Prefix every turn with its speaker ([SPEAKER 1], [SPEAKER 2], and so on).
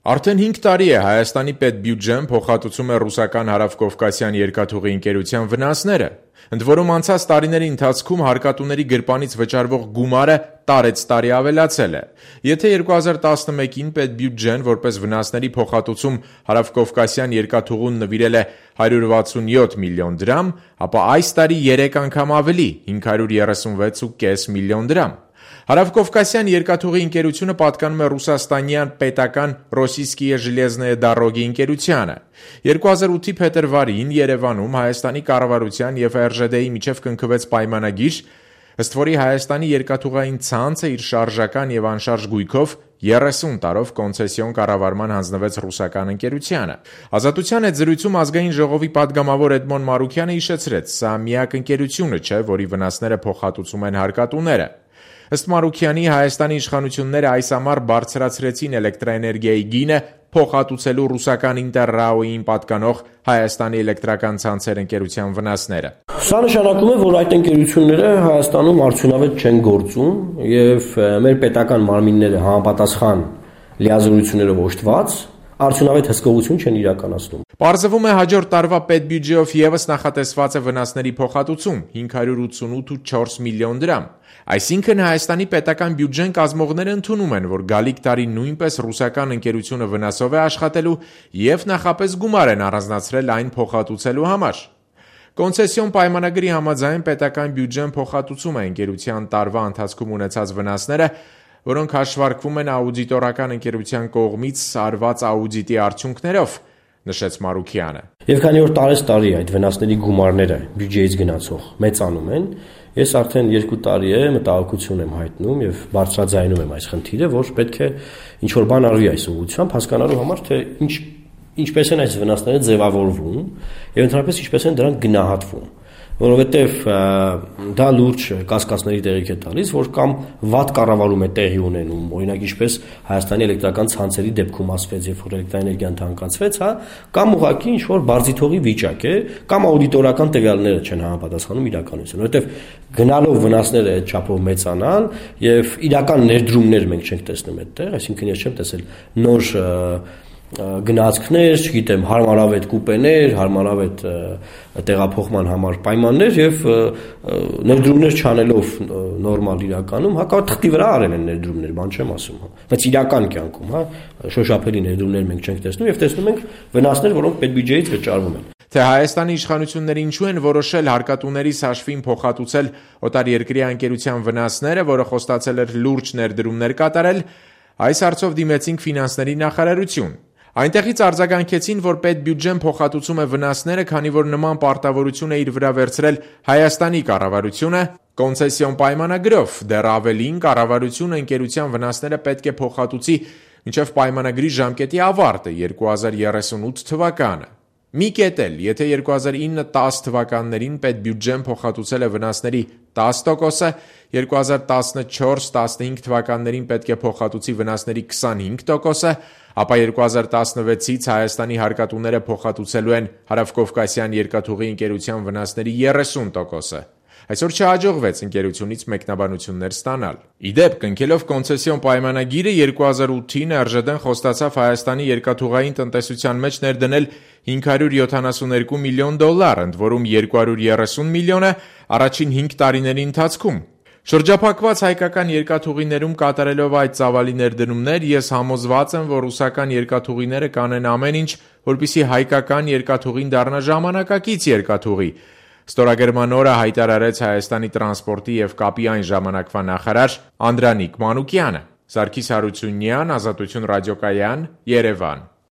[SPEAKER 1] Արդեն 5 տարի է Հայաստանի պետբյուջեն փոխհատուցում է ռուսական Հարավկովկասյան երկաթուղի ընկերության վնասները, ընդ որում անցած տարիների ընթացքում հարկատուների գրպանից վճարվող գումարը տարեց տարի ավելացել է։ Եթե 2011-ին պետբյուջեն որպես վնասների փոխհատուցում Հարավկովկասյան երկաթուղուն նվիրել է 167 միլիոն դրամ, ապա այս տարի 3 անգամ ավելի՝ 536.5 միլիոն դրամ։ Հարավկովկասյան երկաթուղի ընկերությունը պատկանում է ռուսաստանյան պետական Ռոսիյսկիե ժելեզնոյե դարոգի ընկերությանը։ 2008-ի փետրվարին Երևանում Հայաստանի կառավարության և ՌԺԴ-ի միջև կնքվեց պայմանագիր, ըստ որի Հայաստանի երկաթուղային ցանցը իր շարժական և անշարժ գույքով 30 տարով կոնցեսիոն կառավարման հանձնվեց ռուսական ընկերությանը։ Ազատության հետ զրույցում Ազգային ժողովի պատգամավոր Էդմոն Մարուքյանը հիշեցրեց, սա միակ ընկերությունը չէ, որի վնասները փոխհատուցում են հարկատուները։ Ըստ Մարուքյանի, Հայաստանի իշխանությունները այս ամառ բարձրացրեցին էլեկտրաէներգիայի գինը փոխհատուցելու ռուսական Ինտերրաոյին պատկանող Հայաստանի էլեկտրական ցանցեր ընկերության վնասները։
[SPEAKER 2] Սա նշանակում է, որ այդ ընկերությունները Հայաստանում արդյունավետ չեն գործում եւ մեր պետական մարմինները համապատասխան լիազորություններով օժտված արդյունավետ հսկողություն չեն իրականացնում։
[SPEAKER 1] Պարզվում է հաջորդ տարվա պետբյուջեով ևս նախատեսված է վնասների փոխհատուցում 588.4 միլիոն դրամ։ Այսինքն Հայաստանի պետական բյուջեն կազմողները ընդունում են, որ գալիք տարի նույնպես ռուսական ընկերությունը վնասով է աշխատելու եւ նախապես գումար են առանձնացրել այն փոխհատուցելու համար։ Կոնցեսիոն պայմանագրի համաձայն պետական բյուջեն փոխհատուցում է ընկերության տարվա ընթացքում ունեցած վնասները, որոնք հաշվարկվում են աուդիտորական ընկերության կողմից արված աուդիտի արդյունքներով, նշեց Մարուքյանը։
[SPEAKER 2] Եվ քանի որ տարի այդ վնասների գումարները բյուջեից գնացող մեծանում են, ես արդեն 2 տարի է մտահոգություն եմ հայտնում եւ բարձրաձայնում եմ այս խնդիրը, որ պետք է ինչ-որ բան արվի այս ուղղությամբ, հասկանալու համար, թե ինչպես են այս վնասները ձևավորվում եւ ընդհանրապես ինչպես են դրանք գնահատվում, որովհետեւ դա լուրջ կասկածների տեղիք է տալիս, որ կամ վատ կառավարում է տեղի ունենում, օրինակ ինչպես Հայաստանի էլեկտրական ցանցերի դեպքում ասվեց, երբ որ էլեկտրաէներգիան թանկացվեց, կամ ուղղակի ինչ-որ բարձիթողի վիճակ է, կամ աուդիտորական տվյալները չեն համապատասխանում իրականությանը, որովհետեւ գնալով վնասները այդ չափով մեծանան եւ իրական ներդրումներ մենք չենք տեսնում այդտեղ, այսինքն ես չեմ տեսել նոր գնացքներ, չգիտեմ, հարմարավետ կուպեներ, հարմարավետ տեղափոխման համար պայմաններ եւ ներդրումներ չանելով նորմալ իրականում, հակառակ թղթի վրա արել են ներդրումներ, բան չեմ ասում, բայց իրական կյանքում, շոշափելի ներդրումներ մենք չենք տեսնում եւ տեսնում ենք վնասներ, որոնք պետբյուջեից վճարվում են։
[SPEAKER 1] Թե Հայաստանի իշխանությունները ինչու են որոշել հարկատուների հաշվին փոխհատուցել օտարերկրյա ընկերության վնասները, որը խոստացել էր լուրջ ներդրումներ կատարել, այս հարցով դիմեցինք ֆինանսների նախարարություն։ Այնտեղից արձագանքեցին, որ պետբյուջեն փոխհատուցում է վնասները, քանի որ նման պարտավորություն է իր վրա վերցրել Հայաստանի կառավարությունը կոնցեսիոն պայմանագրով, դեռ ավելին կառավարությունը ընկերության վնասները պետք է փոխհատուցի մինչև պայմանագրի ժամկետի ավարտը 2038 թվականը։ Մի կետ էլ, եթե 2009-10 թվականներին պետբյուջեն փոխհատուցել է վնասների 10%, 2014-15 թվականներին պետք է փոխհատուցի վնասների 25%, ապա 2016-ից Հայաստանի հարկատուները փոխհատուցելու են Հարավկովկասյան երկաթուղի ընկերության վնասների 30%։ Այսօր չհաջողվեց ընկերությունից մեկնաբանություններ ստանալ։ Իդեպ, կնքելով կոնցեսիոն պայմանագիրը 2008-ին ՌԺԴ-ն խոստացավ Հայաստանի երկաթուղային տնտեսության մեջ ներդնել $572 միլիոն, ընդ որում 230 միլիոնը առաջին 5 տարիների ընթացքում։ Շրջափակված հայկական երկաթուղիներում կատարելով այդ ծավալի ներդրումներ, ես համոզված եմ, որ ռուսական երկաթուղիները կանեն ամեն ինչ, որպեսզի հայկական երկաթուղին դառնա ժամանակակից երկաթուղի, ստորագրման օրը հայտարարեց Հայաստանի տրանսպորտի և կապի այն ժամանակվա նախարար Անդրանիկ Մանուկյանը։ Սարգիս Հարությունյան, Ազատություն ռադիոկայան, Երևան։